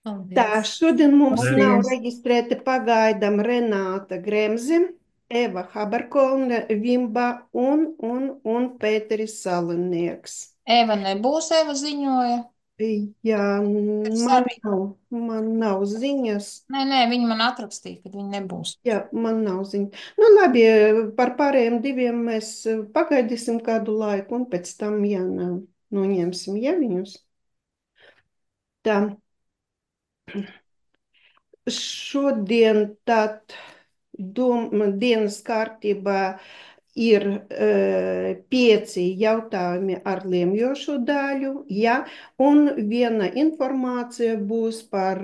Tā, Paldies. šodien mums nav Paldies. reģistrēti pagaidām Renāta Gremze, Eva Haberkolne, Vimba un Pēteris Salinieks. Eva nebūs, Eva ziņoja. Jā, Pēc man arī. nav, man nav ziņas. Nē, viņi man atrakstīja, ka viņi nebūs. Jā, man nav ziņas. Nu, labi, par pārējiem diviem mēs pagaidīsim kādu laiku, un pēc tam, ja nav, noņemsim ja viņus. Tā, šodien tad dienas kārtībā ir pieci jautājumi ar lemjošo daļu, ja, un viena informācija būs par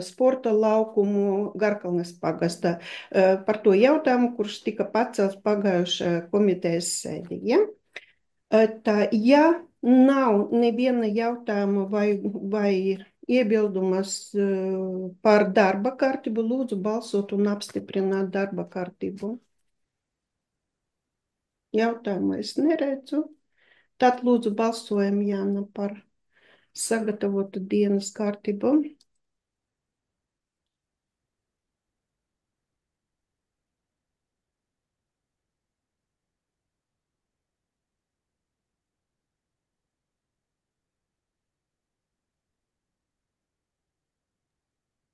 sporta laukumu Garkalnes pagastā, par to jautājumu, kurš tika pacelts pagājušajā komitejas sēdī. Ja? Tā, ja nav neviena jautājuma vai iebildumas par darba kārtību, lūdzu balsot un apstiprināt darba kārtību. Jautājumu es neredzu. Tad lūdzu balsojam, Jāna, par sagatavotu dienas kārtību.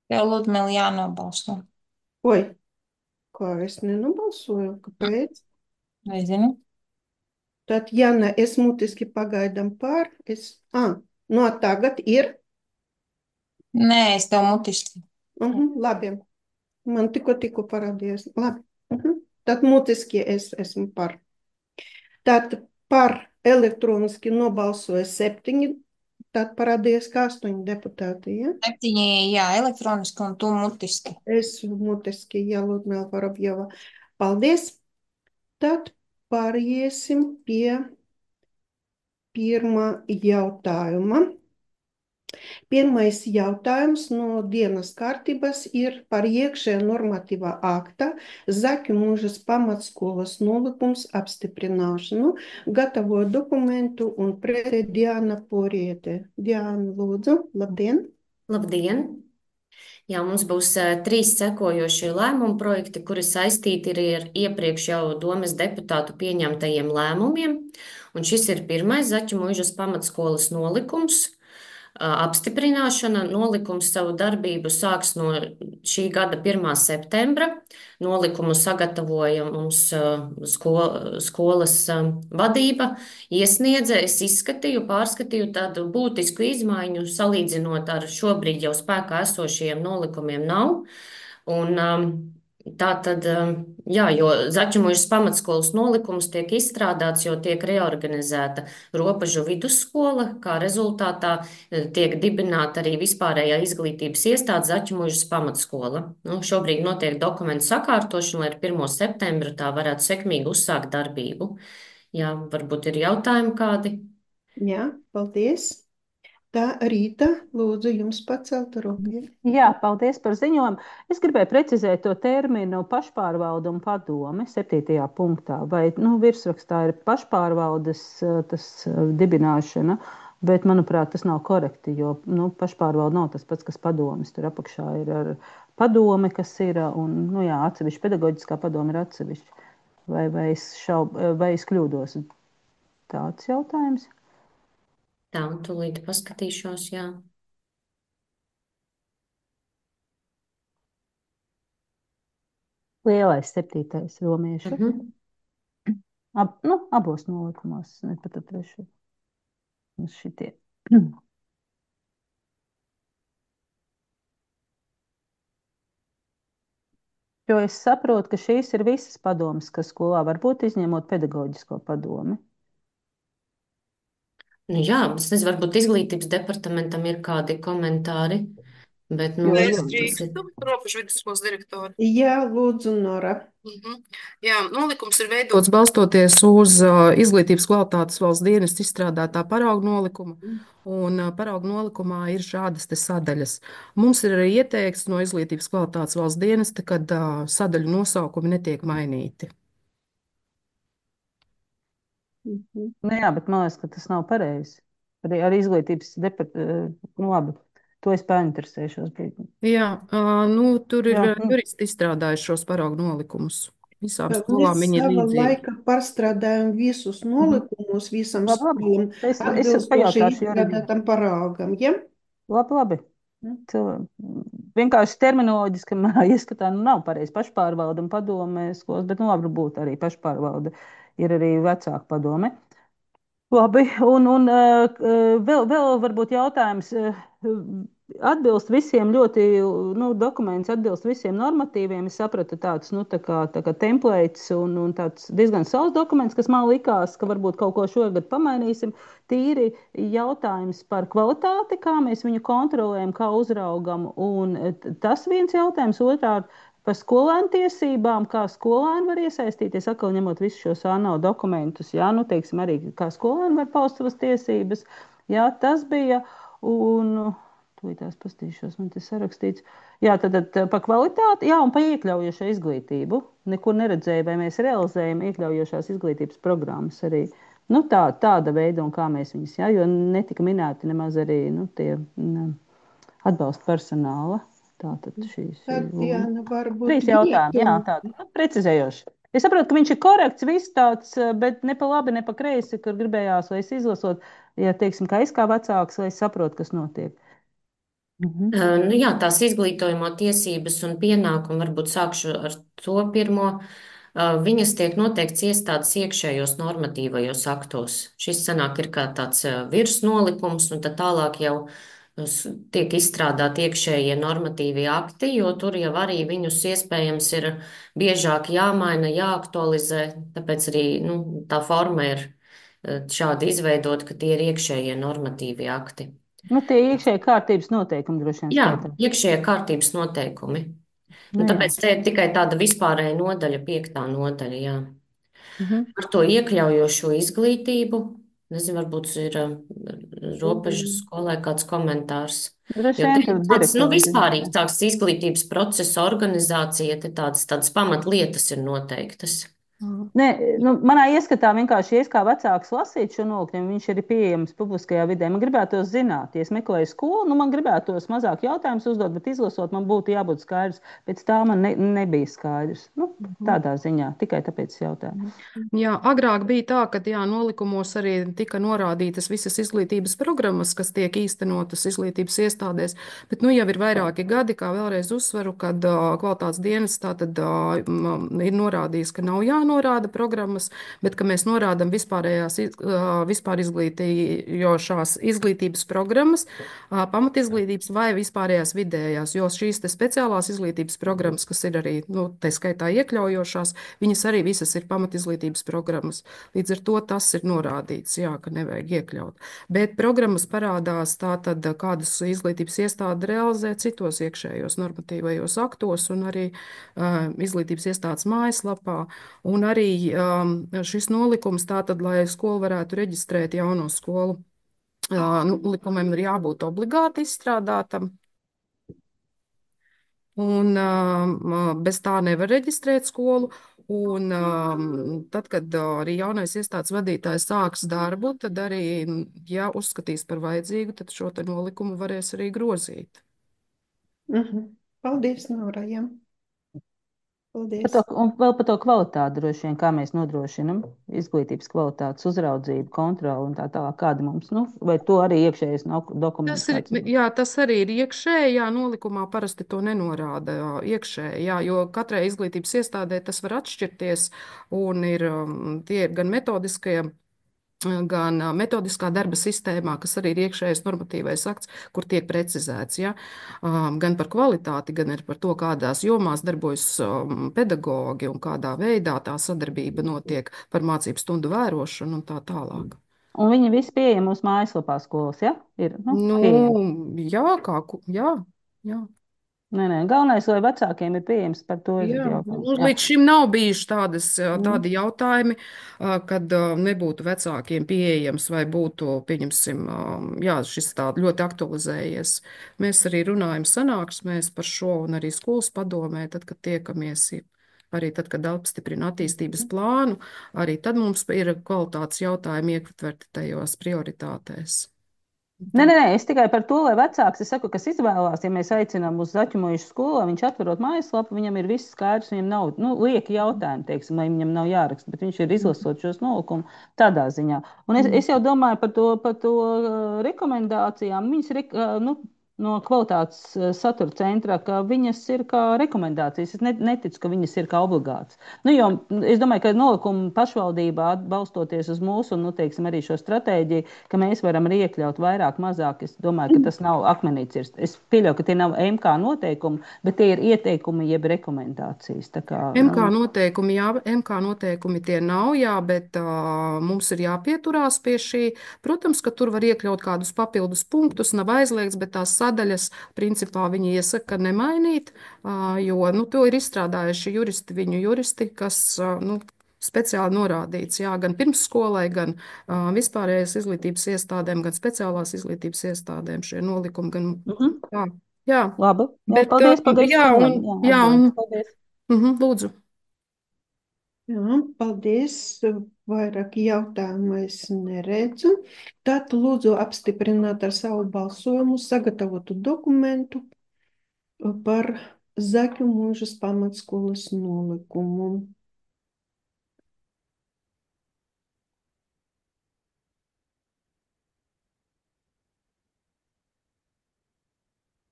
Tev, Ludmila, jānobalso. Oi, kā es nenobalsoju, kāpēc? Nezinu. Tad, Jāna, es mutiski pagaidām pār. No tagad ir. Nē, es tev mutiski. Labi, man tikko parādījās. Labi. Tad mutiski es esmu par. Tad par elektroniski nobalsoja 7, tad parādījās kā 8 deputāti. Ja? 7, jā, elektroniski un tu mutiski. Es mutiski, ja Ludmila Vorobjova. Paldies! Tad pāriesim pie pirmā jautājuma. Pirmais jautājums no dienas kārtības ir par iekšējā normatīvā akta Zaķu Mūžas pamatskolas nolikums apstiprināšanu. Gatavoju dokumentu un pretē Diana Poriete. Diana, lūdzu, labdien! Labdien! Jā, mums būs trīs sekojošie lēmumu projekti, kuri saistīti ir ar iepriekš jau domes deputātu pieņemtajiem lēmumiem. Un šis ir pirmais Zaķu Mūžas pamatskolas nolikums. Apstiprināšana nolikums savu darbību sāks no šī gada 1. septembra. Nolikumu sagatavoja mums skolas vadība, iesniedza, es izskatīju, pārskatīju tādu būtisku izmaiņu, salīdzinot ar šobrīd jau spēkā esošajiem nolikumiem nav. Un, tā tad, jā, jo Zaķumužas pamatskolas nolikums tiek izstrādāts, jo tiek reorganizēta Ropažu vidusskola, kā rezultātā tiek dibināta arī vispārējā izglītības iestāde Zaķumužas pamatskola. Nu, šobrīd notiek dokumentu sakārtošana, lai ar 1. septembra tā varētu sekmīgi uzsākt darbību. Jā, varbūt ir jautājumi kādi? Jā, paldies! Tā Rīta, lūdzu, jums pacelt roku. Jā, paldies par ziņojumu. Es gribēju precizēt to terminu pašpārvalde un padome 7. punktā. Vai virsrakstā ir pašpārvaldes dibināšana, bet, manuprāt, tas nav korekti, jo pašpārvalde nav tas pats, kas padomes. Tur apakšā ir ar padome, kas ir, un, jā, atsevišķi pedagoģiskā padome ir atsevišķi. Vai es kļūdos? Tāds jautājums. Tā, tūlīt paskatīšos, jā. Lielais 7. romiešu. Mhm. Abos nolikumos, ne pat trešo. Šitie. Jo es saprotu, ka šīs ir visas padomes, kas skolā var būt izņemot pedagoģisko padomi. Nu, jā, es nezinu, varbūt izglītības departamentam ir kādi komentāri, bet, nu, Es jā, tas ir. drīkstu, Ropašu vidusskolas direktori. Jā, lūdzu, Nora. Jā, nolikums ir veidots balstoties uz izglītības kvalitātes valsts dienesta izstrādātā paraugu nolikuma. Un paraugu nolikumā ir šādas te sadaļas. Mums ir arī ieteikts no izglītības kvalitātes valsts dienesta, ka sadaļu nosaukumi netiek mainīti. Jā, bet man liekas, ka tas nav pareizi. Arī izglītības departamentu, labi. To es painteresēšos. Jā, nu, tur ir Jā, juristi izstrādājuši šos paraugu nolikumus. Visām Mēs skolām viņi ir sava līdzīgi. laika pārstrādājam visus nolikumus, visam labi, labi. skolām Es atbilstoši pajautāšu juridiem. izstrādātam paraugam, ja? Labi. Vienkārši terminoloģiski manā ieskatā nav pareizi pašpārvalde un padome skolas, bet labi būtu arī pašpārvalde. Ir arī vecāka padome. Labi, un vēl varbūt jautājums. Atbilst visiem ļoti, dokuments atbilst visiem normatīviem. Es sapratu tāds, tā kā templates un tāds diezgan savs dokuments, kas man likās, ka varbūt kaut ko šogad pamainīsim. Tīri jautājums par kvalitāti, kā mēs viņu kontrolējam, kā uzraugam. Un tas viens jautājums, otrkārt par skolēnu tiesībām, kā skolēni var iesaistīties, atkal ņemot visus šos ANO dokumentus, jā, teiksim arī, kā skolēni var paust savas tiesības. Jā, tas bija, un tūlītās pastīšos, man te sarakstīts. Jā, tad par kvalitāti, jā, un par iekļaujošo izglītību. Nekur neredzēju, vai mēs realizējam iekļaujošās izglītības programmas arī. Tāda veida, un kā mēs viņus, jā, jo netika minēti nemaz arī, tie atbalsta personāla. Tātad šīs Tatjana, varbūt 3 jautājumi, jā, tādi precizējoši. Es saprotu, ka viņš ir korekts, viss tāds, bet ne pa labi, ne pa kreisi, kur gribējās, lai es izlasot, ja teiksim, kā es kā vecāks, lai es saprotu, kas notiek. Nu, jā, tās izglītojamo tiesības un pienākumu, varbūt sākšu ar to pirmo. Viņas tiek noteikts iestādes iekšējos normatīvajos aktos. Šis sanāk ir kā tāds virsnolikums, un tad tālāk jau tiek izstrādāti iekšējie normatīvie akti, jo tur jau arī viņus iespējams ir biežāk jāmaina, jāaktualizē. Tāpēc arī tā forma ir šādi izveidota, ka tie ir iekšējie normatīvie akti. Tie iekšējie kārtības noteikumi droši vien Jā, skaitā. iekšējie kārtības noteikumi. Jā. Tāpēc te ir tikai tāda vispārēja nodaļa, 5. nodaļa, jā. Par to iekļaujošo izglītību. Nezinu, varbūt ir robežu skolai kāds komentārs. Droši Jo vien te ir tur tāds, direktori. vispārīgs tāds izglītības procesa organizācija, te tādas pamatlietas ir noteiktas. Nē, manā ieskatā vienkārši, ja es kā vecāks lasītu šo nolikumu, viņš ir pieejams publiskajā vidē. Man gribētos zināt, ja es meklēju skolu, man gribētos mazāk jautājumus uzdot, bet izlasot, man būtu jābūt skaidrs. Pēc tā man nebija skaidrs. Tādā ziņā, tikai tāpēc jautāju. Jā, agrāk bija tā, ka nolikumos arī tika norādītas visas izglītības programmas, kas tiek īstenotas izglītības iestādēs, bet jau ir vairāki gadi, kā vēlreiz uzsveru, kad kvalitātes dienas tātad ir norādījis, ka nav jānorāda programmas, bet ka mēs norādam vispār izglītījošās izglītības programmas, pamatizglītības vai vispārējās vidējās, jo šīs te speciālās izglītības programmas, kas ir arī, tā skaitā iekļaujošās, viņas arī visas ir pamatizglītības programmas. Līdz ar to tas ir norādīts, jā, ka nevajag iekļaut. Bet programmas parādās tātad, kādas izglītības iestāde realizē citos iekšējos normatīvajos aktos un arī izglītības iestādes mājaslapā. Un arī šis nolikums tātad, lai skola varētu reģistrēt jauno skolu, likumiem ir jābūt obligāti izstrādātam. Un bez tā nevar reģistrēt skolu. Un tad, kad arī jaunais iestādes vadītājs sāks darbu, tad arī, ja uzskatīs par vajadzīgu, tad šo te nolikumu varēs arī grozīt. Paldies, Nora, jā. Paldies. Un vēl par to kvalitāti droši vien, kā mēs nodrošinam izglītības kvalitātes uzraudzību, kontroli un tā tālāk, kāda mums, vai to arī iekšējais dokuments. Tas arī ir iekšēji, nolikumā parasti to nenorāda iekšēji, jo katrai izglītības iestādē tas var atšķirties un tie ir gan metodiskie, gan metodiskā darba sistēmā, kas arī ir iekšējais normatīvais akts, kur tiek precizēts, gan par kvalitāti, gan arī par to, kādās jomās darbojas pedagogi un kādā veidā tā sadarbība notiek par mācību stundu vērošanu un tā tālāk. Un viņi visi pieejami mūsu mājaslapā skolas, ja? Ir, pieejami. Jā. Nē, galvenais, lai vecākiem ir pieejams par to. Līdz šim nav bijuši tādi jautājumi, kad nebūtu vecākiem pieejams vai būtu, pieņemsim, šis tā ļoti aktualizējies. Mēs arī runājam sanāksmēs par šo un arī skolas padomē, tad, kad tiekamies. Arī tad, kad apstiprina attīstības plānu, arī tad mums ir kvalitātes jautājumi ietverti tajos prioritātēs. Nē, es tikai par to, lai vecāks, es saku, kas izvēlās, ja mēs aicinām uz Zaķumojušu skolu, viņš atverot mājaslapu, viņam ir viss skaidrs, viņam nav, lieki jautājumi, teiksim, lai viņam nav jāraksta, bet viņš ir izlasot šos nolikumus tādā ziņā. Un es jau domāju par to rekomendācijām, viņas ir, no kvalitātes satura centra, ka viņas ir kā rekomendācijas. Es neticu, ka viņas ir kā obligātas. Jo es domāju, ka nolikuma pašvaldībā balstoties uz mūsu, teiksim, arī šo stratēģiju, ka mēs varam arī iekļaut vairāk, mazāk. Es domāju, ka tas nav akmenī cirst. Es pieļauju, ka tie nav MK noteikumi, bet tie ir ieteikumi jeb rekomendācijas. Tā kā, MK noteikumi, jā, MK noteikumi tie nav, jā, bet mums ir jāpieturās pie šī. Protams, ka tur var iekļaut kādus papildus punktus, nav aizliegts, bet tās sadaļas, principā, viņi iesaka nemainīt, jo, to ir izstrādājuši viņu juristi, kas, speciāli norādīts, jā, gan pirmsskolai, gan vispārējais izglītības iestādēm, gan speciālās izglītības iestādēm šie nolikumi, gan, jā, jā. Labi, jā, Bet, paldies, jā, paldies. Lūdzu. Jā, paldies. Vairāk jautājumu es neredzu. Tad lūdzu apstiprināt ar savu balsojumu sagatavotu dokumentu par Zaķu mūžas pamatskolas nolikumu.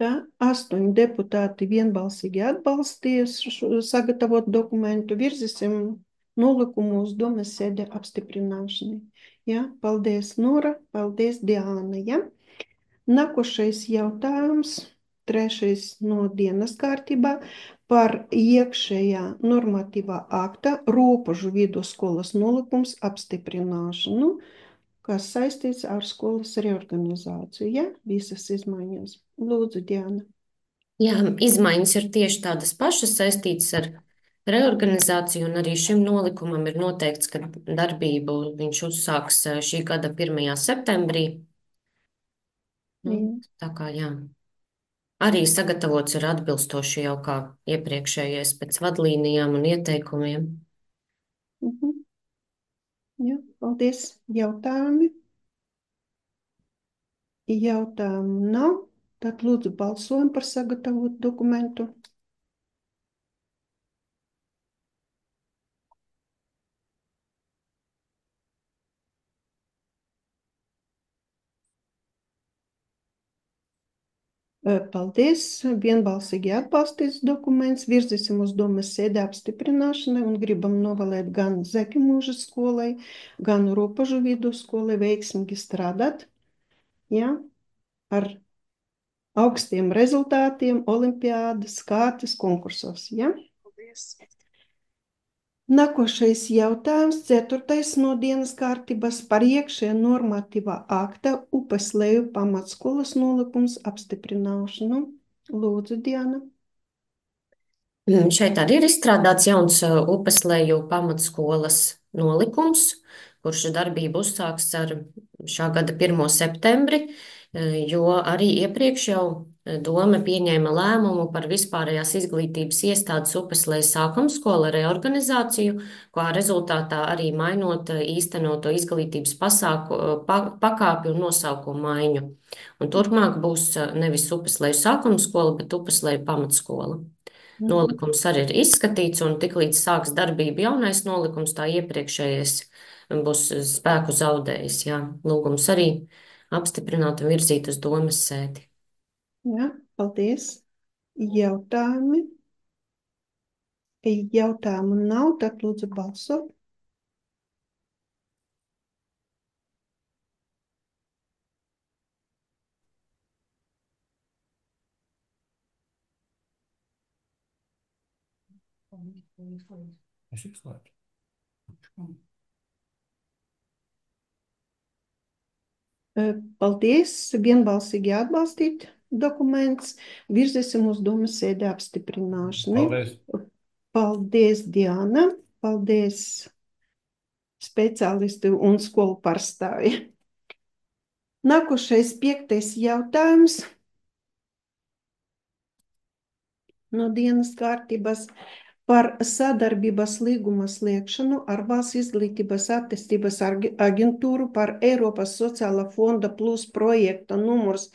Tā 8 deputāti vienbalsīgi atbalstīs sagatavot dokumentu. Virzīsim nolikumu uz domes sēde apstiprināšanai. Ja? Paldies, Nora. Paldies, Diāna. Ja? Nākošais jautājums, 3. no dienas kārtībā par iekšējā normatīvā akta robežu vidusskolas nolikums apstiprināšanu, kas saistīts ar skolas reorganizāciju. Ja? Visas izmaiņas. Lūdzu, Diana. Jā, izmaiņas ir tieši tādas pašas, saistītas ar reorganizāciju, un arī šim nolikumam ir noteikts, ka darbību viņš uzsāks šī gada 1. septembrī. Tā kā jā. Arī sagatavots ir atbilstoši jau kā iepriekšējais pēc vadlīnijām un ieteikumiem. Jā, paldies. Jautājumi? Jautājumu nav. Tad lūdzu balsojam par sagatavotu dokumentu. Paldies. Vienbalsīgi atbalstīts dokuments. Virzīsim uz domes sēdi apstiprināšanai un gribam novēlēt gan Zaķu mūžas skolai, gan robežu vidusskolai veiksmīgi strādāt. Ja? Ar augstiem rezultātiem olimpiādas, kārtas, konkursos. Ja? Paldies. Nākošais jautājums, 4. no dienas kārtības par iekšējā normatīvā akta Upesleju pamatskolas nolikums apstiprināšanu. Lūdzu, Diana. Šeit arī ir izstrādāts jauns Upesleju pamatskolas nolikums, kurš darbību uzsāks ar šā gada 1. septembri, jo arī iepriekš jau doma pieņēma lēmumu par vispārējās izglītības iestādes Upesleju sākumskola reorganizāciju, kā rezultātā arī mainot īstenoto izglītības pakāpi un nosaukumu maiņu. Un turpmāk būs nevis Upesleju sākumskola, bet Upesleju pamatskola. Nolikums arī ir izskatīts, un tiklīdz sāks darbību jaunais nolikums, tā iepriekšējais būs spēku zaudējis. Jā. Lūgums arī apstiprināt un virzīt uz domes sēdi. Jā, paldies. Jautājumi? Jautājumu nav, tad lūdzu balsot. Es izslēdzu. Paldies. Vienbalsīgi atbalstīt dokuments. Virzīsim uz domes sēdi apstiprināšanai. Paldies. Paldies, Diana. Paldies, speciālisti un skolu pārstāvji. Nākošais 5. jautājums no dienas kārtības par sadarbības līguma slēgšanu ar Valsts izglītības attīstības aģentūru par Eiropas sociālā fonda plus projekta numurs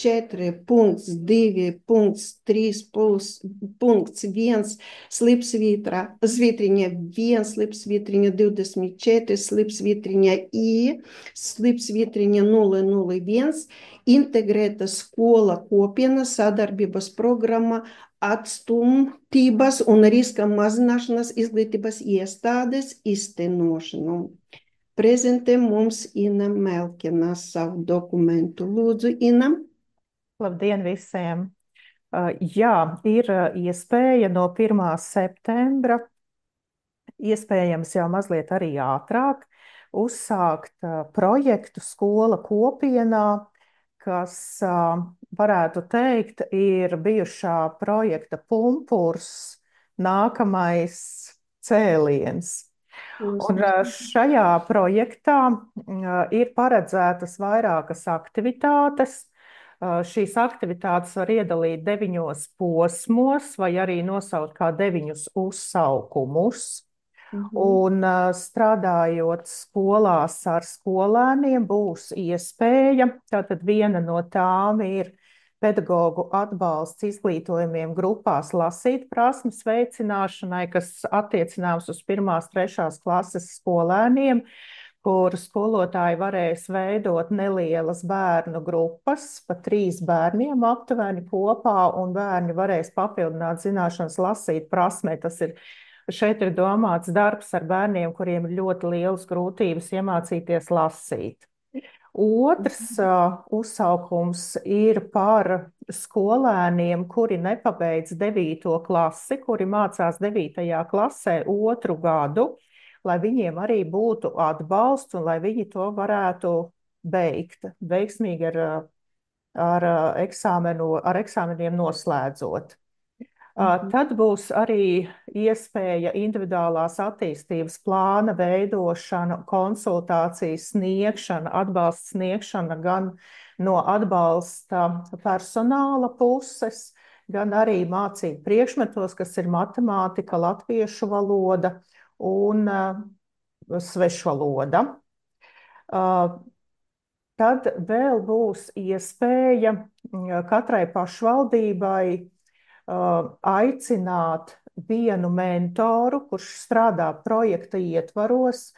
4.2.3.1 slipsvītriņa 1 slipsvītriņa 24 slipsvītriņa I slipsvītriņa 001 integrēta skola kopiena sadarbības programma atstumtības un riska mazināšanas izglītības iestādes īstenošanu. Prezentē mums Ina Melkina savu dokumentu. Lūdzu, Ina. Labdien visiem! Jā, ir iespēja no 1. septembra, iespējams jau mazliet arī ātrāk, uzsākt projektu skola kopienā, kas, varētu teikt, ir bijušā projekta pumpurs, nākamais cēliens. Un šajā projektā ir paredzētas vairākas aktivitātes. Šīs aktivitātes var iedalīt 9 posmos vai arī nosaukt kā 9 uzsaukumus. Un strādājot skolās ar skolēniem būs iespēja, tātad viena no tām ir pedagogu atbalsts izglītojumiem grupās lasīt prasmes veicināšanai, kas attiecināms uz 1. 3. klases skolēniem, kur skolotāji varēs veidot nelielas bērnu grupas, pa 3 bērniem aptuveni kopā, un bērni varēs papildināt zināšanas lasīt prasmē. Šeit ir domāts darbs ar bērniem, kuriem ir ļoti lielas grūtības iemācīties lasīt. Otrs uzsaukums ir par skolēniem, kuri nepabeidz 9. klasi, kuri mācās 9. klasē 2. gadu, lai viņiem arī būtu atbalsts un lai viņi to varētu beigt veiksmīgi ar eksāmeniem noslēdzot. Tad būs arī iespēja individuālās attīstības plāna veidošana, konsultācijas sniegšana, atbalsts sniegšana gan no atbalsta personāla puses, gan arī mācību priekšmetos, kas ir matemātika, latviešu valoda un svešvaloda. Tad vēl būs iespēja katrai pašvaldībai aicināt vienu mentoru, kurš strādā projekta ietvaros,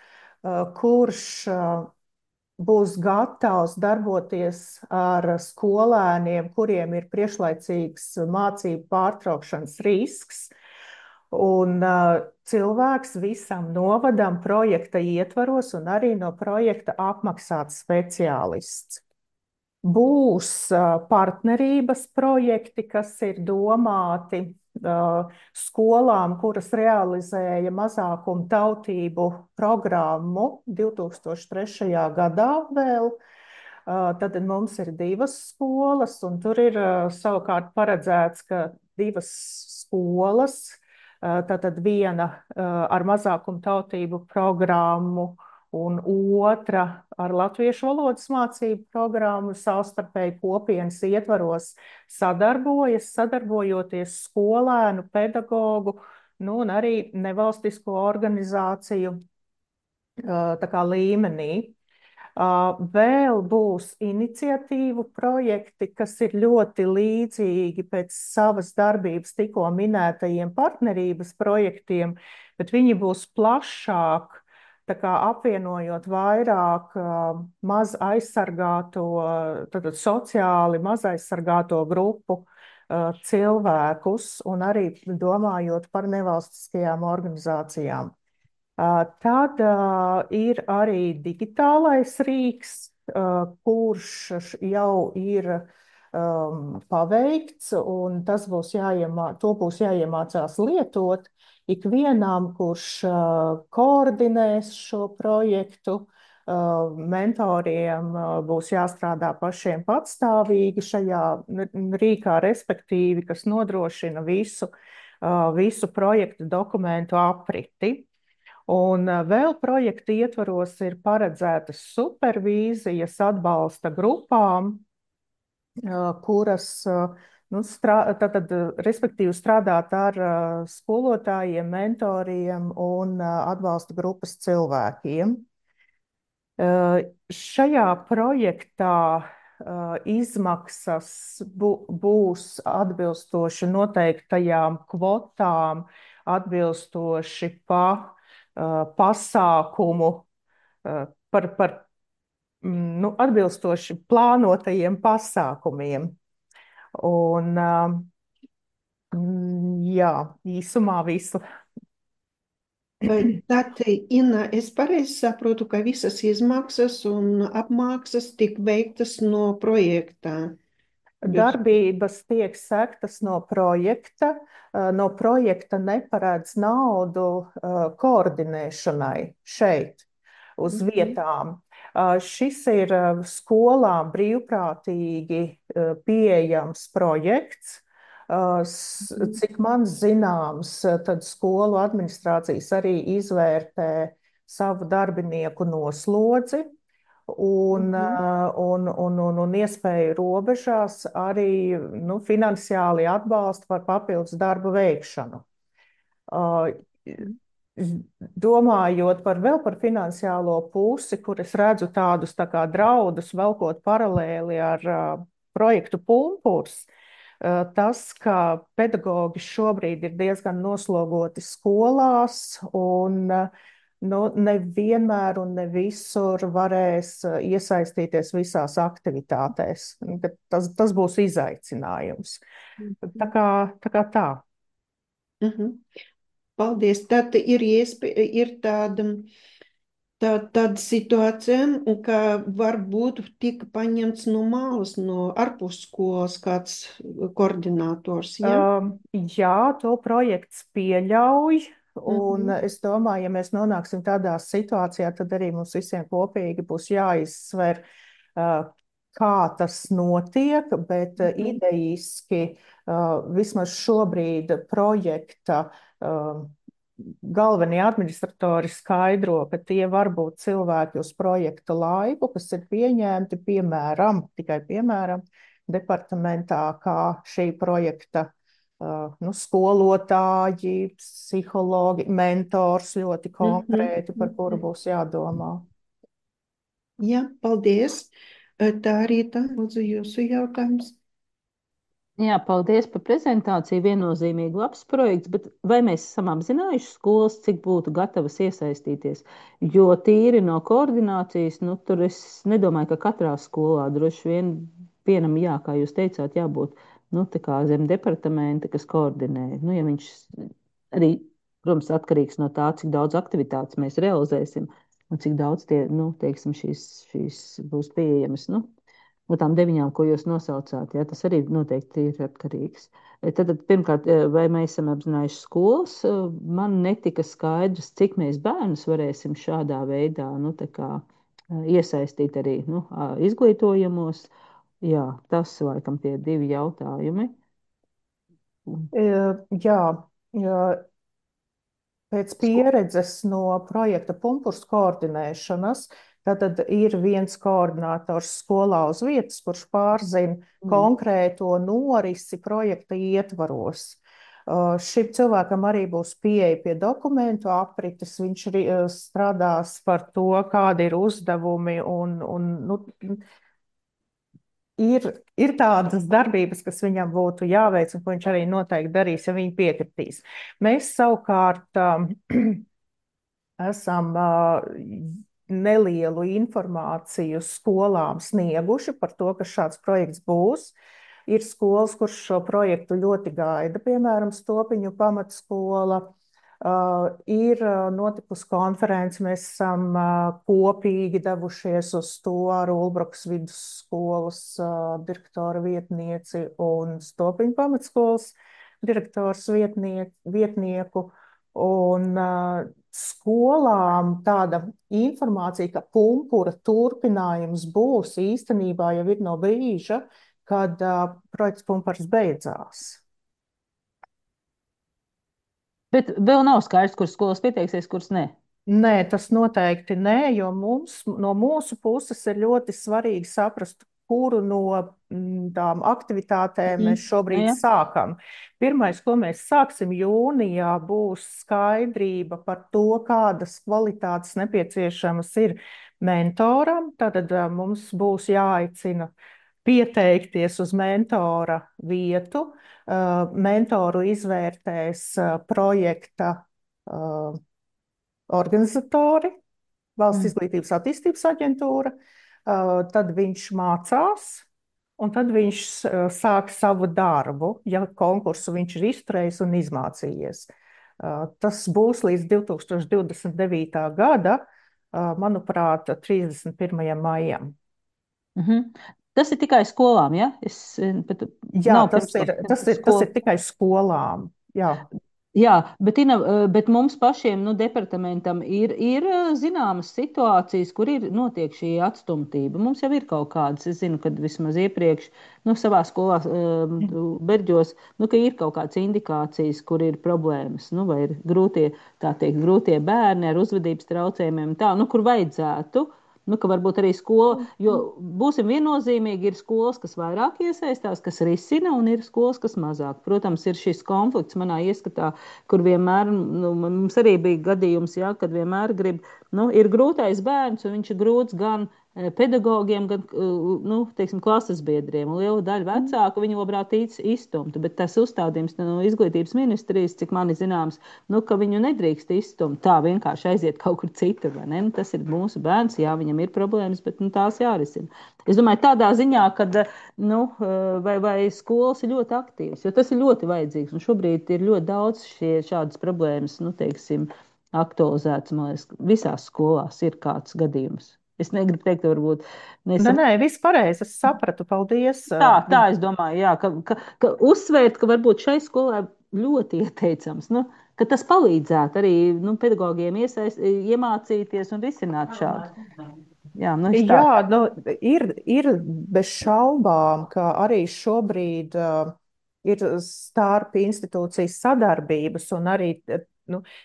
kurš būs gatavs darboties ar skolēniem, kuriem ir priekšlaicīgs mācību pārtraukšanas risks, un cilvēks visam novadam projekta ietvaros un arī no projekta apmaksāts speciālists. Būs partnerības projekti, kas ir domāti skolām, kuras realizēja mazākumu tautību programmu 2003. gadā vēl. Tad mums ir 2 skolas, un tur ir savukārt paredzēts, ka 2 skolas, tātad viena ar mazākumu tautību programmu, un otra ar latviešu valodas mācību programmu savstarpēji kopienas ietvaros sadarbojoties skolēnu, pedagogu, un arī nevalstisko organizāciju tā kā līmenī. Vēl būs iniciatīvu projekti, kas ir ļoti līdzīgi pēc savas darbības tikko minētajiem partnerības projektiem, bet viņi būs plašāk, tā kā apvienojot vairāk maz aizsargāto, tātad sociāli maz aizsargāto grupu cilvēkus un arī domājot par nevalstiskajām organizācijām. Tad ir arī digitālais rīks, kurš jau ir paveikts, un to būs jāiemācās lietot ikvienam, kurš koordinēs šo projektu. Mentoriem būs jāstrādā pašiem patstāvīgi šajā rīkā, respektīvi, kas nodrošina visu projektu dokumentu apriti. Un vēl projekta ietvaros ir paredzētas supervīzijas atbalsta grupām, kuras respektīvi strādāt ar skolotājiem, mentoriem un atbalsta grupas cilvēkiem. Šajā projektā izmaksas būs atbilstoši noteiktajām kvotām, atbilstoši pasākumu, atbilstoši plānotajiem pasākumiem. Un, jā, īsumā visu. Tad, Inna, es pareizi saprotu, ka visas izmaksas un apmaksas tik veiktas no projekta. Darbības tiek sektas no projekta. No projekta neparedz naudu koordinēšanai šeit, uz vietām. Šis ir skolām brīvprātīgi pieejams projekts. Cik man zināms, tad skolu administrācijas arī izvērtē savu darbinieku noslodzi un iespēju robežās arī finansiāli atbalstu par papildus darbu veikšanu. Domājot vēl par finansiālo pusi, kur es redzu tādus tā kā draudus, velkot paralēli ar projektu Pumpurs, tas, ka pedagogi šobrīd ir diezgan noslogoti skolās un nevienmēr un ne visur varēs iesaistīties visās aktivitātēs. Tas būs izaicinājums. Tā kā tā. Paldies. Tad ir tāda situācija, ka varbūt tika paņemts no malas, no ārpusskolas kāds koordinators. Ja? Jā, to projekts pieļauj. Un es domāju, ja mēs nonāksim tādā situācijā, tad arī mums visiem kopīgi būs jāizsver, kā tas notiek, bet idejiski vismaz šobrīd projekta galvenie administratori skaidro, ka tie var būt cilvēki uz projekta laiku, kas ir pieņemti, tikai piemēram, departamentā, kā šī projekta skolotāji, psihologi, mentors ļoti konkrēti, par kuru būs jādomā. Jā, paldies. Tā arī tā, lūdzu, jūsu jautājums. Jā, paldies par prezentāciju. Viennozīmīgi labs projekts, bet vai mēs esam apzinājuši skolas, cik būtu gatavas iesaistīties? Jo tīri no koordinācijas, tur es nedomāju, ka katrā skolā droši vien vienam, jā, kā jūs teicāt, jābūt tā kā zem departamenta, kas koordinē. Ja viņš arī, protams, atkarīgs no tā, cik daudz aktivitātes mēs realizēsim un cik daudz tie, teiksim, šīs būs pieejamas, no tām 9, ko jūs nosaucāt, jā, tas arī noteikti ir atkarīgs. Tad pirmkārt, vai mēs esam apzinājuši skolas, man netika skaidrs, cik mēs bērnus varēsim šādā veidā, iesaistīt arī, izglītojumos. Jā, tas laikam tie 2 jautājumi. Jā, pēc pieredzes no projekta Pumpurs koordinēšanas, tad ir viens koordinators skolā uz vietas, kurš pārzina konkrēto norisi projekta ietvaros. Šim cilvēkam arī būs pieeja pie dokumentu aprites, viņš strādās par to, kādi ir uzdevumi ir tādas darbības, kas viņam būtu jāveic un ko viņš arī noteikti darīs, ja viņi piekritīs. Mēs savukārt esam nelielu informāciju skolām snieguši par to, ka šāds projekts būs. Ir skolas, kuras šo projektu ļoti gaida, piemēram, Stopiņu pamatskola. Ir notikusi konference, mēs esam kopīgi devušies uz to ar Ulbrukas vidusskolas direktora vietnieci un Stopiņu pamatskolas direktors vietnieku. Un skolām tāda informācija, ka Pumpura turpinājums būs, īstenībā jau ir no brīža, kad projekts Pumpurs beidzās. Bet vēl nav skaidrs, kuras skolas pieteiksies, kuras ne. Nē, tas noteikti nē, jo no mūsu puses ir ļoti svarīgi saprast, kuru no tām aktivitātēm mēs šobrīd Jā. sākam. Pirmais, ko mēs sāksim jūnijā, būs skaidrība par to, kādas kvalitātes nepieciešamas ir mentoram. Tātad mums būs jāaicina pieteikties uz mentora vietu. Mentoru izvērtēs projekta organizatori, Valsts izglītības attīstības aģentūra, tad viņš mācās, un tad viņš sāk savu darbu, ja konkursu viņš ir izturējis un izmācījies. Tas būs līdz 2029. gada, manuprāt, 31. maijam. Tas ir tikai skolām, ja? Jā, tas ir tikai skolām. Jā. Jā, bet mums pašiem, departamentam ir zināmas situācijas, kur notiek šī atstumtība. Mums jau ir kaut kādas, es zinu, kad vismaz iepriekš, savā skolā, Berģos, ka ir kaut kādas indikācijas, kur ir problēmas, vai ir grūtie bērni ar uzvedības traucējumiem, kur vajadzētu. Ka varbūt arī skola, jo būsim viennozīmīgi, ir skolas, kas vairāk iesaistās, kas risina, un ir skolas, kas mazāk. Protams, ir šis konflikts manā ieskatā, kur vienmēr, mums arī bija gadījums, jā, kad vienmēr ir grūtais bērns, un viņš ir grūts gan pedagogiem, gan, teiksim, klases biedriem. Liela daļa vecāku viņu labprāt izstumtu, bet tas uzstādījums no izglītības ministrijas, cik mani zināms, ka viņu nedrīkst izstumt, tā vienkārši aiziet kaut kur citur, vai ne? Tas ir mūsu bērns, jā, viņam ir problēmas, bet tās jārisina. Es domāju, tādā ziņā, kad, vai skolas ir ļoti aktīvas, jo tas ir ļoti vajadzīgs, un šobrīd ir ļoti daudz šādas problēmas, teiksim, aktualizētas, man liekas, visās skolās ir kāds gadījums. Es negribu teikt, varbūt. Nē, viss pareizi, es sapratu, paldies. Tā es domāju, jā, ka uzsvērt, ka varbūt šai skolai ļoti ieteicams, ka tas palīdzētu arī pedagogiem iemācīties un risināt šādu. Jā, ir bez šaubām, ka arī šobrīd ir starp institūcijas sadarbības, un arī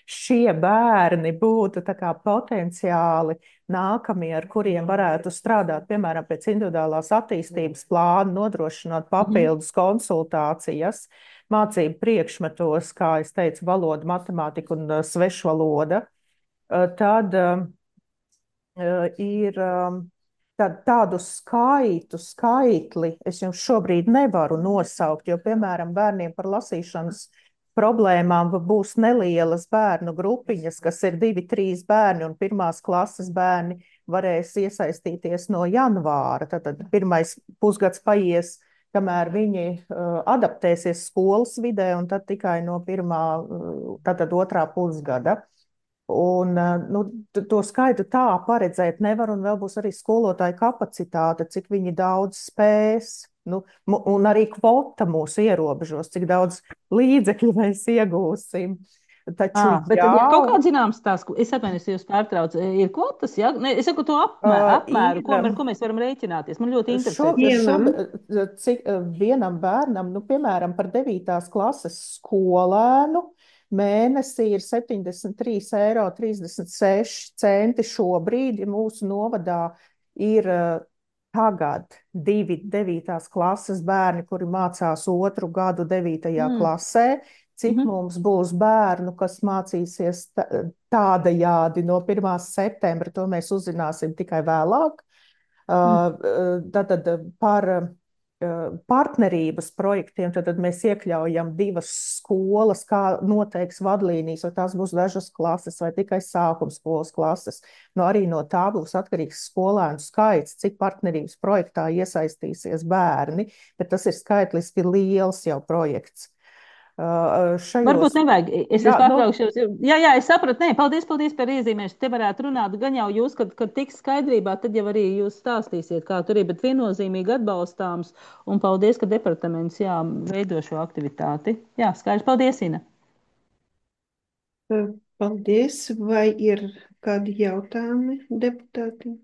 šie bērni būtu tā kā potenciāli nākamie, ar kuriem varētu strādāt, piemēram, pēc individuālās attīstības plāna, nodrošinot papildus konsultācijas, mācību priekšmetos, kā es teicu, valoda, matemātika un svešvaloda. Tad ir tādu skaitli es jums šobrīd nevaru nosaukt, jo, piemēram, bērniem par lasīšanas problēmām būs nelielas bērnu grupiņas, kas ir 2-3 bērni, un pirmās klases bērni varēs iesaistīties no janvāra. Tad pirmais pusgads paies, kamēr viņi adaptēsies skolas vidē, un tad tikai no tad otrā pusgada. Un to skaitu tā paredzēt nevar, un vēl būs arī skolotāju kapacitāte, cik viņi daudz spēs. Un arī kvota mūs ierobežos, cik daudz līdzekļu mēs iegūsim. Taču, bet ir kaut kāds zināms tās, es atvainojos, jūs pārtraucu, ir kvotas, ja? Ne, es saku to apmēru, ar ko mēs varam rēķināties. Man ļoti interesē. Cik vienam bērnam, piemēram, par 9. klases skolēnu, mēnesī ir 73,36 eiro šobrīd, ja mūsu novadā ir tagad 2 9. klases bērni, kuri mācās 2. gadu 9. klasē. Cik mums būs bērnu, kas mācīsies tādajādi no 1. septembra, to mēs uzzināsim tikai vēlāk. Tātad par partnerības projektiem, tad mēs iekļaujam 2 skolas, kā noteiks vadlīnijas, vai tās būs dažas klases vai tikai sākumskolas klases. Arī no tā būs atkarīgs skolēnu skaits, cik partnerības projektā iesaistīsies bērni, bet tas ir skaitliski liels jau projekts. Varbūt nevajag. Es pārtraukšos. Jā, es sapratu. Nē, paldies par iezīmēšanu. Te varētu runāt gan jau jūs, kad tiks skaidrībā, tad jau arī jūs stāstīsiet, kā tur ir, bet viennozīmīgi atbalstāms. Un paldies, ka departaments veido šo aktivitāti. Jā, skaidrs. Paldies, Ina. Paldies. Vai ir kādi jautājumi deputātiem?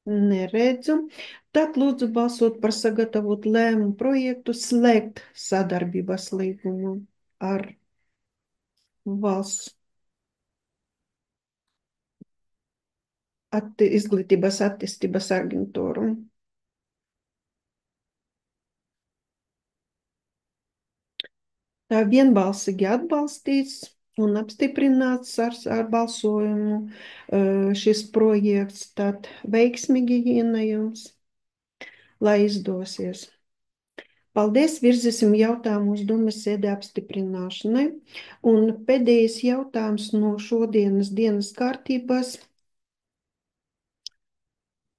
Neredzu. Tad lūdzu balsot par sagatavot lēmumu projektu slēgt sadarbības līgumu ar valsts izglītības attīstības aģentūru. Tā vienbalsīgi atbalstīts un apstiprināts ar balsojumu šis projekts. Tad veiksmīgi Ina jums, lai izdosies. Paldies, virzīsim jautājumu uz domas sēdi apstiprināšanai. Un pēdējais jautājums no šodienas dienas kārtības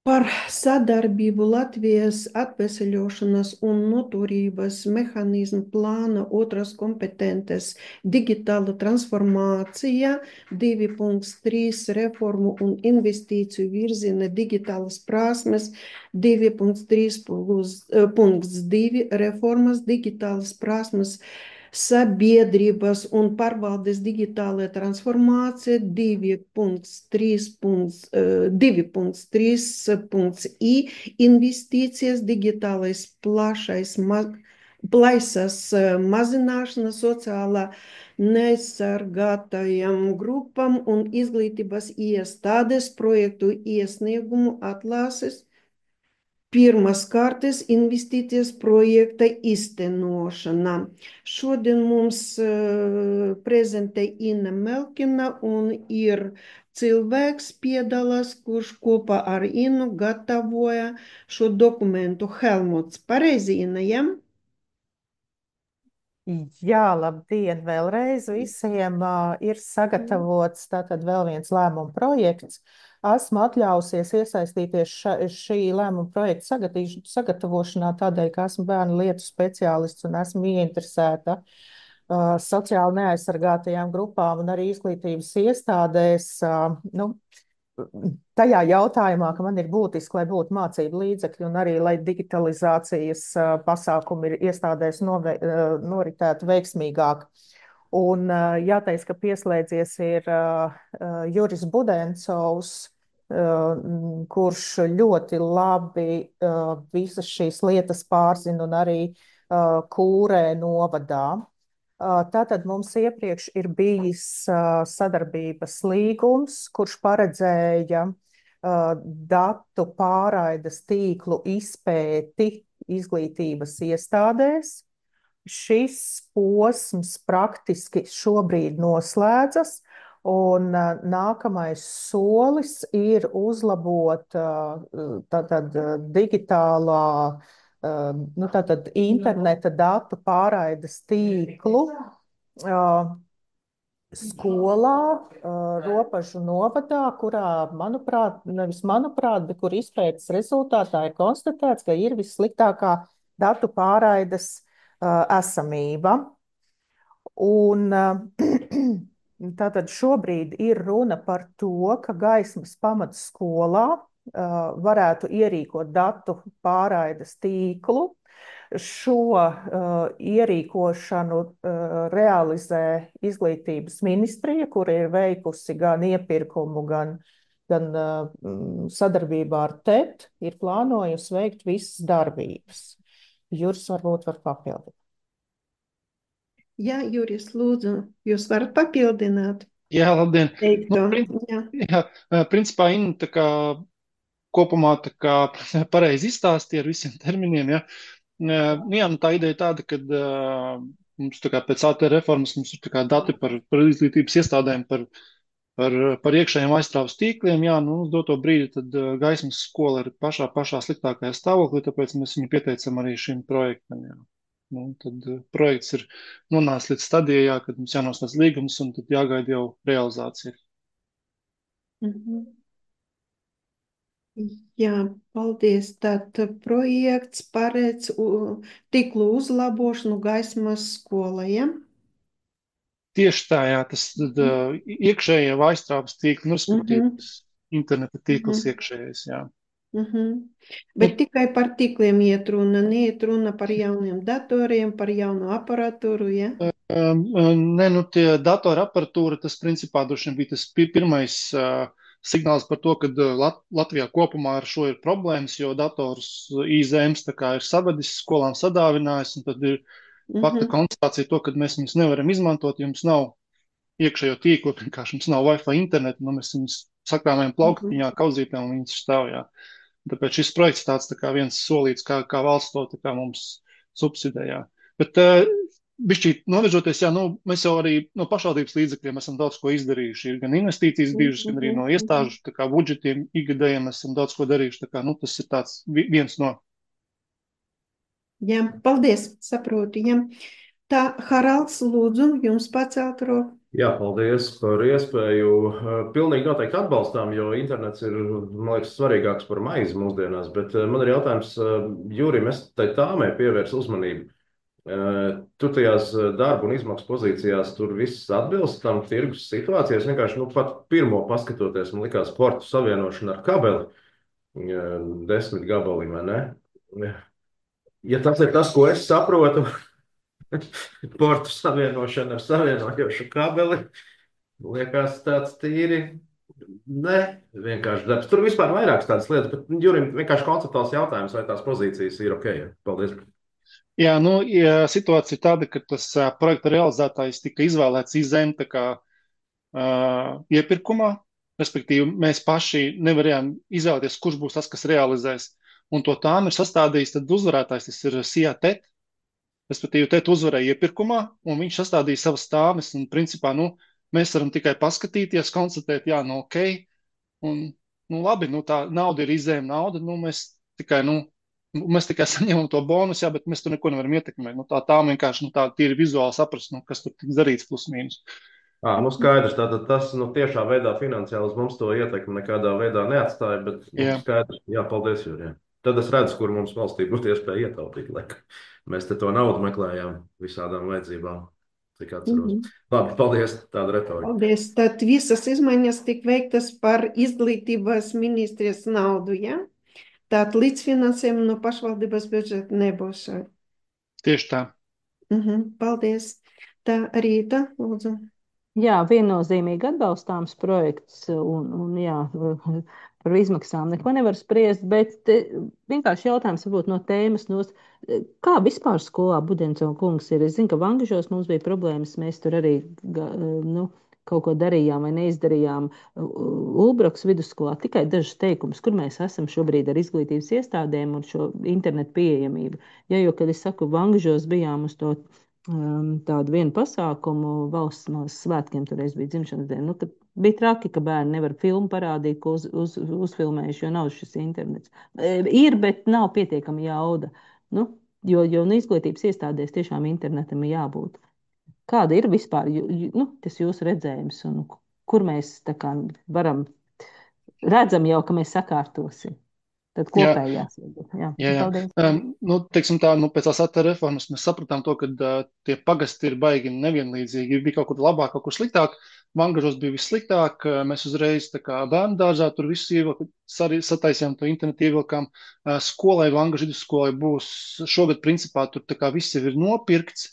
par sadarbību Latvijas atveseļošanas un noturības mehānismu plāna otras kompetences digitāla transformācija 2.3 reformu un investīciju virziena digitālas prasmes 2.3.2 reformas digitālas prasmes sabiedrības un pārvaldes digitālajā transformācija 2.3.i investīcijas digitālais plaisas mazināšana sociālā neaizsargātajām grupām un izglītības iestādes projektu iesniegumu atlases pirmās kārtas investīcijas projekta īstenošana. Šodien mums prezentē Ina Melkina un ir cilvēks piedalās, kurš kopā ar Inu gatavoja šo dokumentu. Helmuts, pareizi, Ina, ja? Jā, labdien vēlreiz visiem. Ir sagatavots tātad vēl viens lēmuma projekts. Esmu atļausies iesaistīties šī lēmuma projekta sagatavošanā tādēļ, ka esmu bērnu lietu speciālists un esmu ieinteresēta sociāli neaizsargātajām grupām un arī izglītības iestādēs. Tajā jautājumā, ka man ir būtiski, lai būtu mācību līdzekļi un arī, lai digitalizācijas pasākumi ir iestādēs noritētu veiksmīgāk. Un jāteic, ka pieslēdzies ir Juris Budencovs, kurš ļoti labi visas šīs lietas pārzina un arī Kūrē novadā. Tātad mums iepriekš ir bijis sadarbības līgums, kurš paredzēja datu pārraides tīklu izpēti izglītības iestādēs. Šis posms praktiski šobrīd noslēdzas, un nākamais solis ir uzlabot tātad digitālā tātad interneta datu pārraides tīklu skolā, Ropažu novadā, kurā, bet kur izpētes rezultātā ir konstatēts, ka ir vissliktākā datu pārraides esamība. Un tātad šobrīd ir runa par to, ka Gaismas pamatskolā varētu ierīkot datu pārraides tīklu. Šo ierīkošanu realizē Izglītības ministrija, kur ir veikusi gan iepirkumu, gan sadarbībā ar TET, ir plānojusi veikt visas darbības. Juris varbūt var papildināt. Jā, Juris, lūdzu, jūs varat papildināt? Jā, labdien. Jā, principā Inna tā kā kopumā tā kā pareizi izstāstīja ar visiem terminiem, ja. Tā ideja tāda, ka mums tā kā pēc AT reformas mums ir tā kā dati par izglītības iestādēm, par iekšējiem aizstrāvas tīkliem, jā, uz doto brīdi tad Gaismas skola ir pašā sliktākajā stāvoklī, tāpēc mēs viņu pieteicam arī šim projektam, jā. Tad projekts ir nonācis līdz stadijā, kad mums jānoslēdz līgums un tad jāgaida jau realizācija. Jā, paldies. Tātad projekts paredz tīklu uzlabošanu Gaismas skolā, ja? Tieši tā, jā, tas iekšējie aizstrādes tīkli, respektīvi interneta tīkls iekšējais, jā. Bet tikai par tīkliem iet runa, neiet runa par jauniem datoriem, par jaunu aparatūru, ja? Nē, tie datora aparatūra, tas principā droši vien bija tas pirmais signāls par to, ka Latvijā kopumā ar šo ir problēmas, jo dators IZMs tā kā ir savadis, skolām sadāvinājis, un tad ir fakta konstatācija to, ka mēs viņus nevaram izmantot, ja mums nav iekšējo tīklu, vienkārši mums nav Wi-Fi internetu, mēs viņus sakrāmējam plauktiņā, kauzītēm, un viņus stāv, jā. Tāpēc šis projekts tāds tā kā viens solīts, kā valsts to tā kā mums subsidējā. Bet bišķīt novirzoties, jā, nu, mēs jau arī no pašvaldības līdzekļiem esam daudz ko izdarījuši. Ir gan investīcijas bijušas, gan arī no iestāžu tā kā budžetiem ikgadējiem esam daudz ko darījuši. Tā kā, nu, tas ir tāds viens no. Jā, paldies, saprotu. Jā. Tā, Haralds, lūdzu, jums pacelt roku. Jā, paldies par iespēju. Pilnīgi noteikti atbalstām, jo internets ir, man liekas, svarīgāks par maizi mūsdienās. Bet man ir jautājums, Jūrim, es tai tāmai pievērsu uzmanību. Tur tajās darba un izmaksu pozīcijās tur viss atbilst tam tirgus situācijās. Vienkārši, nu, pat pirmo paskatoties, man likās portu savienošana ar kabeli, 10 gabali, vai ne? Ja tas ir tas, ko es saprotu, portu savienošana ar savienojošu kabeli, liekas tāds tīri, ne, vienkārši darbs. Tur vispār vairākas tādas lietas, bet Jurim vienkārši konceptuāls jautājums, vai tās pozīcijas ir ok. Paldies. Jā, nu, ja situācija ir tāda, ka tas projekta realizētājs tika izvēlēts izem tā kā iepirkumā, respektīvi mēs paši nevarējām izvēlēties, kurš būs tas, kas realizēs. Un to tām ir sastādījis, tad uzvarētājs, tas ir SIATET, respektīvi TET uzvarēja iepirkumā, un viņš sastādīja savas stāves, un principā, nu, mēs varam tikai paskatīties, konstatēt, jā, nu, ok, un, nu, labi, nu, tā nauda ir izējuma nauda, nu, mēs tikai saņemam to bonusu, jā, bet mēs tur neko nevaram ietekmēt. Nu, tā vienkārši, nu, tā tīri vizuāli saprast, nu, kas tur tiks darīts plus mīnus. Nu skaidrs, tātad tas, nu, tiešā veidā finansiāli uz mums to ietekmi nekādā veidā neatstāja, bet, nu, skaidrs, jā, paldies, Jūri. Tad es redzu, kur mums valstī būtu iespēja ietaupīt, lai mēs te to naudu meklējām visādām vajadzībām, cik atceros. Labi, paldies, tāda retorika. Paldies. Tad visas izmaiņas tik veiktas par izglītības ministrijas naudu, ja? Tātad līdzfinansējumu no pašvaldības budžeta nebūs. Tieši tā. Paldies. Tā Rīta, lūdzu. Jā, viennozīmīgi atbalstāms projekts, un jā, par izmaksām neko nevar spriest, bet vienkārši jautājums varbūt no tēmas nost. Kā vispār skolā Budensona kungs ir? Es zinu, ka Vangažos mums bija problēmas, mēs tur arī nu, kaut ko darījām vai neizdarījām. Ulbroks vidusskolā tikai dažas teikumus, kur mēs esam šobrīd ar izglītības iestādēm un šo internetu pieejamību. Ja, jo, kad es saku, Vangažos bijām uz to tādu vienu pasākumu valsts svētkiem, toreiz bija dzimšanas diena. Nu, bija traki, ka bērni nevar filmu parādīt, ko uzfilmējuši, jo nav šis internets. Ir, bet nav pietiekami jauda. Nu, jo izglītības iestādēs tiešām internetam ir jābūt. Kāda ir vispār tas jūsu redzējums un kur mēs tā kā redzam jau, ka mēs sakārtosim? Tad kopējās. Jā. Nu, teiksim tā, pēc tās ATR reformas mēs sapratām to, ka tie pagasti ir baigi nevienlīdzīgi. Bija kaut kur labāk, kaut kur sliktāk. Vangažos bija vissliktāk. Mēs uzreiz tā kā bērnu dārzā tur visu ievilku, sataisījām to internetu ievilkām. Skolai, Vangažu vidusskolai būs šogad principā tur tā kā viss jau ir nopirkts.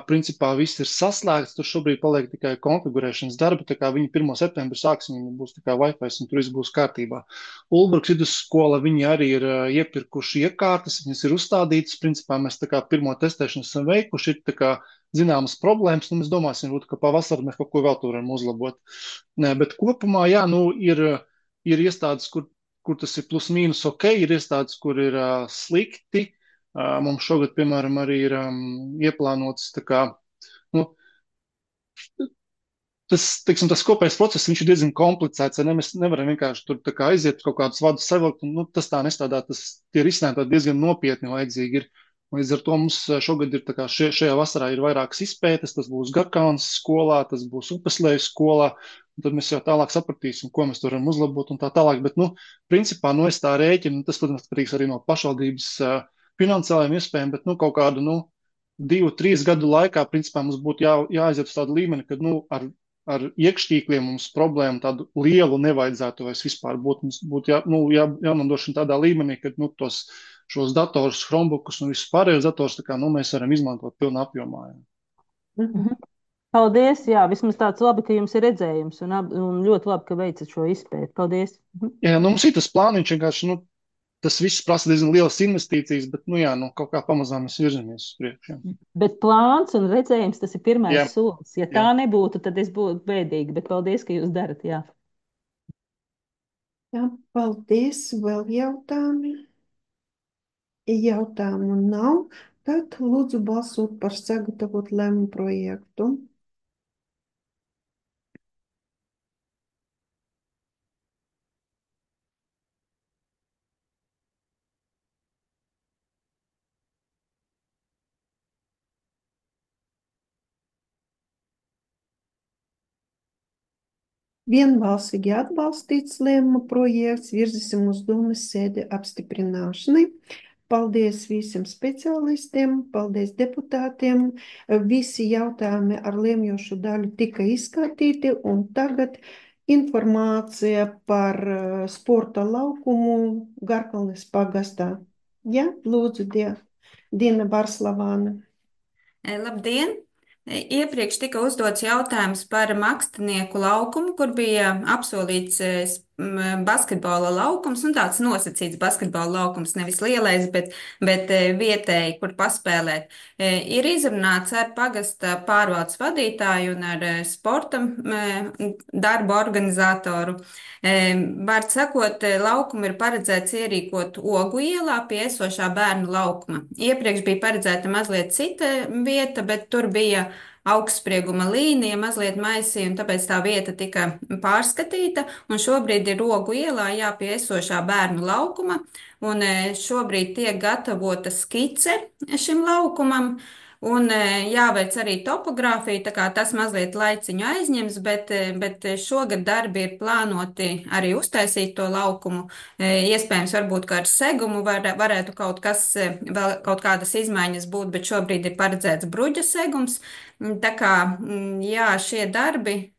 Principā viss ir saslēgts, tur šobrīd paliek tikai konfigurēšanas darbi, tā kā viņi 1. septembrī sāksim, viņi būs tikai Wi-Fi un tur viss būs kārtībā. Ulbruks vidusskola, viņi arī ir iepirkuši iekārtas, viņas ir uzstādītas, principā mēs tā kā pirmo testēšanu esam veikuši, ir tā kā zināmas problēmas, nu mēs domāsim, ka pavasarī mēs kaut ko vēl tur varam uzlabot. Nē, bet kopumā, jā, nu ir iestādes, kur tas ir plus mīnus ok, ir iestādes, kur ir slikti. Mums šogad, piemēram, arī ir ieplānots tā kā, nu, tas kopējais process, viņš ir diezgan komplicēts, ne? Mēs nevaram vienkārši tur tā kā aiziet kaut kādus vadus savilkt, un tas tā nestrādā, tie risinājumi diezgan nopietni vajadzīgi ir. Līdz ar to mums šogad ir tā kā šajā vasarā ir vairākas izpētes, tas būs Garkaunas skolā, tas būs Upeslejas skolā, un tad mēs jau tālāk sapratīsim, ko mēs tur varam uzlabot un tā tālāk, bet, principā, es tā rēķinu, tas, protams, atkarīgs arī no pašvaldības finansiālajiem iespējām, bet, kaut kādu, 2-3 gadu laikā, principā, mums būtu jāaiziet uz tādu līmeni, kad, ar iekštīkliem mums problēmu tādu lielu nevajadzētu vairs vispār būt. Mums būtu jānodrošina tādā līmenī, ka, šos datorus, Chromebookus un visus pārējos datorus, tā kā, mēs varam izmantot pilnā apjomā. Paldies, jā, vismaz tāds labi, ka jums ir redzējums un ļoti labi, ka veicat šo izpēti. Paldies. Jā, mums ir tas plāniņš vienkārši, tas viss prasa diezgan lielas investīcijas, bet, kaut kā pamazām mēs virzamies uz priekšu. Bet plāns un redzējums, tas ir pirmais solis. Ja tā nebūtu, tad es būtu bēdīgi, bet paldies, ka jūs darat, jā. Jā, paldies. Vēl jautājumi? Jautājumu nav. Tad lūdzu balsot par sagatavot lēmumu projektu. Vienbalsīgi atbalstīts lēmuma projekts, virzīsim uz domas sēdi apstiprināšanai. Paldies visiem speciālistiem, paldies deputātiem. Visi jautājumi ar lēmjošu daļu tika izskatīti, un tagad informācija par sporta laukumu Garkalnes pagastā. Ja, lūdzu, Dina Barslavāna. Labdien! Iepriekš tika uzdots jautājums par Makstnieku laukumu, kur bija apsolīts basketbola laukums, un tāds nosacīts basketbola laukums, nevis lielais, bet vietēji, kur paspēlēt. Ir izrunāts ar pagasta pārvaldes vadītāju un ar sporta darba organizatoru. Vārds sakot, laukumu ir paredzēts ierīkot Ogu ielā pie esošā bērnu laukuma. Iepriekš bija paredzēta mazliet cita vieta, bet tur bija augstsprieguma līnija mazliet maisīja, un tāpēc tā vieta tika pārskatīta, un šobrīd ir Ogu ielā jāpie esošā bērnu laukuma, un šobrīd tiek gatavota skice šim laukumam, un jāveic arī topogrāfija, tā kā tas mazliet laiciņu aizņems, bet šogad darbi ir plānoti arī uztaisīt to laukumu. Iespējams, varbūt, ka ar segumu varētu kaut kas, vēl kaut kādas izmaiņas būt, bet šobrīd ir paredzēts bruģa segums. Tā kā, jā, šie darbi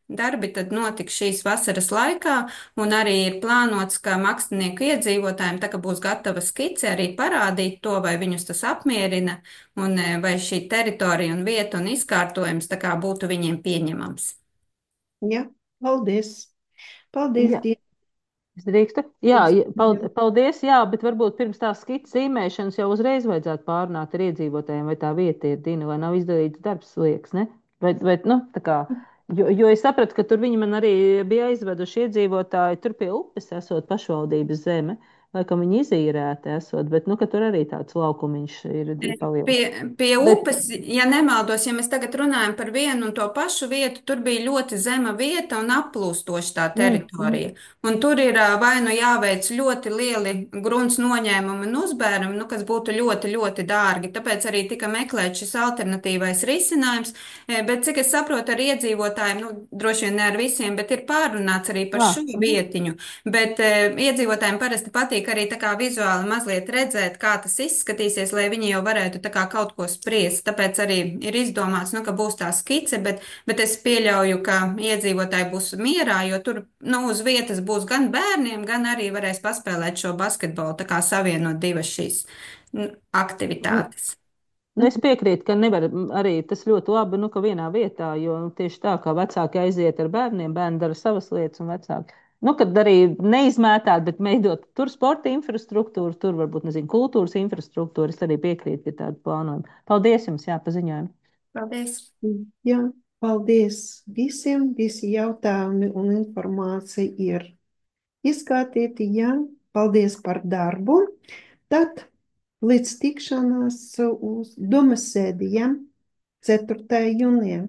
tad notiks šīs vasaras laikā, un arī ir plānots, ka Makstnieku iedzīvotājiem, tā kā būs gatava skice, arī parādīt to, vai viņus tas apmierina, un vai šī teritorija un vieta un izkārtojums tā kā būtu viņiem pieņemams. Ja, paldies. Paldies, Jā. Dina. Es drīkstu? Jā, paldies, jā, bet varbūt pirms tās skices zīmēšanas jau uzreiz vajadzētu pārunāt ar iedzīvotājiem, vai tā vieta ir, Dina, vai nav izdarīts darbs, liekas, ne? Nu, tā kā, jo es sapratu, ka tur viņi man arī bija aizveduši iedzīvotāji, tur pie upes esot pašvaldības zeme, laikam viņi izīrēti esot, bet, nu, ka tur arī tāds laukumiņš ir paliels. Pie upes, ja nemaldos, ja mēs tagad runājam par vienu un to pašu vietu, tur bija ļoti zema vieta un aplūstoša tā teritorija. Un tur ir vai nu jāveic ļoti lieli grunts noņēmumi un uzbērumi, nu, kas būtu ļoti, ļoti dārgi. Tāpēc arī tika meklēts šis alternatīvais risinājums. Bet, cik es saprotu, ar iedzīvotājiem, nu, droši vien ne ar visiem, bet ir pārunāts arī par šo vietiņu. Bet iedzīvotājiem parasti patīk arī tā kā vizuāli mazliet redzēt, kā tas izskatīsies, lai viņi jau varētu tā kā kaut ko spriest. Tāpēc arī ir izdomāts, nu, ka būs tā skice, bet es pieļauju, ka iedzīvotāji būs mierā, jo tur, nu, uz vietas būs gan bērniem, gan arī varēs paspēlēt šo basketbolu, tā kā savienot divas šīs aktivitātes. Nu, es piekrītu, ka nevar arī tas ļoti labi, nu, ka vienā vietā, jo tieši tā kā vecāki aiziet ar bērniem, bērni dara savas lietas un vecāki. Nu, kad arī neizmētāt, bet veidot tur sporta infrastruktūru, tur varbūt, nezinu, kultūras infrastruktūru, es arī piekrītu pie tādu plānojumu. Paldies jums, jā, paziņojumu. Paldies. Jā, paldies visiem, visi jautājumi un informācija ir izskatīti, jā, paldies par darbu. Tad līdz tikšanās uz domas sēdi, ja, 4. jūnijā.